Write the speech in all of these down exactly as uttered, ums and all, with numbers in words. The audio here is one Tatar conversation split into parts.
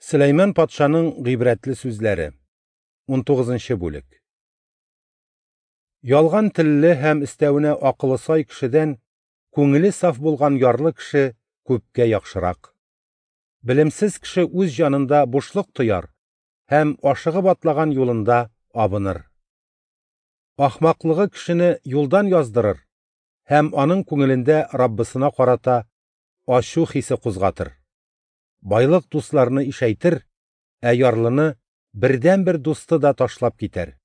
Сөләйман патшаның гыйбрәтле сүзләре. Унтугызынчы бүлек. Ялган телле һәм өстәвенә акылы сай кешедән күңеле саф булган ярлы кеше күпкә яхшырак. Белемсез кеше үз җанында бушлык тояр һәм ашыгып атлаган юлында абыныр. Ахмаклыгы кешене юлдан яздырыр һәм аның күңелендә Раббысына карата ачу хисе кузгатыр. Байлык дусларны ишәйтер, ә ярлыны бердәнбер дусты да ташлап китәр.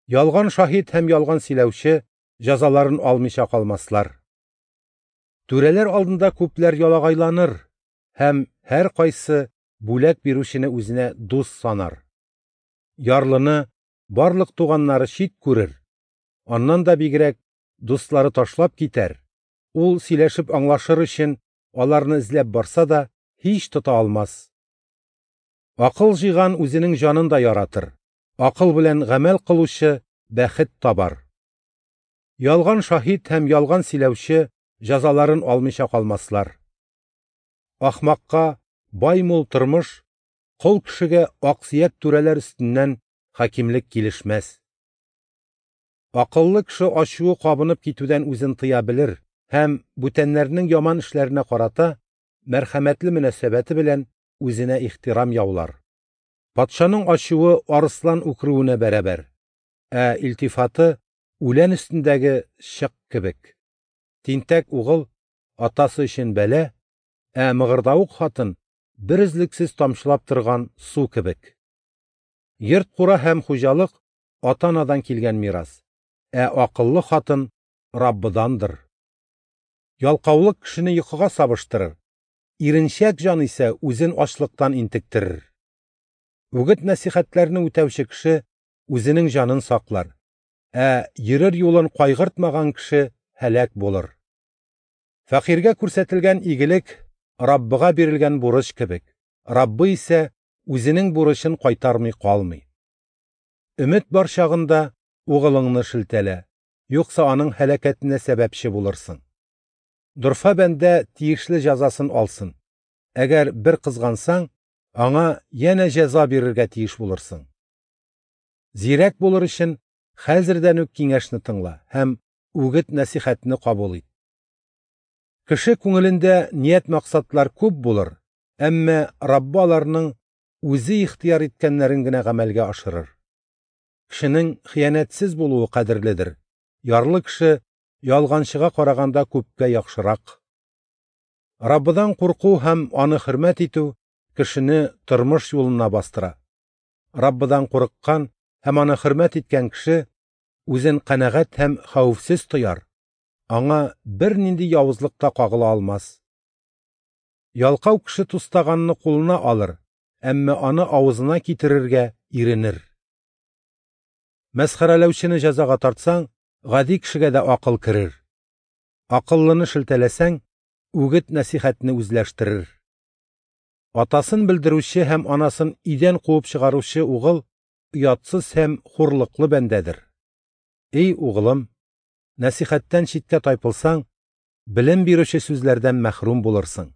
Ялган шаһит һәм ялган сөйләүче җәзаларын алмыйча калмаслар. Түрәләр алдында күпләр ялагайланыр һәм һәр кайсы бүләк бирүчене үзенә дус санар. Ярлыны барлык туганнары чит күрер, аннан да бигрәк дуслары ташлап китәр. Ул сөйләшеп аңлашыр өчен аларны эзләп барса да һич тота алмас. Акыл җыйган үзенең җанын да яратыр. Акыл белән гамәл кылучы бәхет табар. Ялган шаһит һәм ялган сөйләүче җәзаларын алмыйча калмаслар. Ахмакка бай мул тормыш, кол кешегә аксөяк түрәләр өстеннән хакимлек килешмәс. Акыллы кеше ачуы кабынып китүдән үзен тыя белер һәм бүтәннәрнең яман эшләренә карата мәрхәмәтле мөнәсәбәте белән үзенә ихтирам яулар. Патшаның ачуы арыслан үкерүенә бәрабәр, ә илтифаты үлән өстендәге чык кебек. Тинтәк угыл атасы өчен бәла, ә мыгырдавык хатын бер өзлексез тамчылап торган су кебек. Йорт-кура һәм хуҗалык ата-анадан килгән мирас, ә акыллы хатын Раббыдандыр. Ялкаулык кешене йокыга сабыштырыр, иренчәк җан исә үзен ачлыктан интектерер. Үгет нәсихәтләрне үтәүче кеше үзенең җанын саклар, ә йөрер юлын кайгыртмаган кеше һәлак булыр. Фәкыйрьгә күрсәтелгән игелек Раббыга бирелгән бурыч кебек, Раббы исә үзенең бурычын кайтармый калмый. Өмет бар чагында угылыңны шелтәлә, юкса аның һәлакәтенә сәбәпче булырсың. Дорфа бәндә тиешле җәзасын алсын. Әгәр бер кызгансаң, аңа янә җәза бирергә тиеш булырсың. Зирәк булыр өчен хәзердән үк киңәшне тыңла һәм үгет нәсихәтне кабул ит. Кеше күңелендә ният-максатлар күп булыр, әмма Раббы аларның үзе ихтыяр иткәннәрен генә гамәлгә ашырыр. Кешенең хыянәтсез булуы кадерледер. Ярлы кеше ялганчыга караганда күпкә яхшырак. Раббыдан курку һәм аны хөрмәт итү кешене тормыш юлына бастыра. Раббыдан курыккан һәм аны хөрмәт иткән кеше үзен канәгать һәм хәвефсез тояр. Аңа бернинди явызлык та кагыла алмас. Ялкау кеше тустаганны кулына алыр, әмма аны авызына китерергә иренер. Мәсхәрәләүчене җәзага тартсаң, гади кешегә дә акыл керер. Акыллыны шелтәләсәң, үгет нәсихәтне үзләштерер. Атасын белдерүче һәм анасын өйдән куып чыгаручы угыл оятсыз һәм хурлыклы бәндәдер. Эй угылым, нәсихәттән читкә тайпылсаң, белем бирүче сүзләрдән мәхрүм булырсың.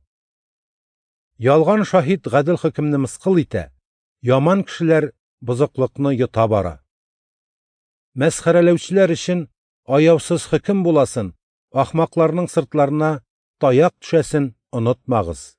Ялган шаһит гадел хөкемне мыскыл итә, яман кешеләр бозыклыкны йота бара. Мәсхәрәләүчеләр өчен аяусыз хөкем буласын, ахмакларның сыртларына таяк төшәсен онытмагыз.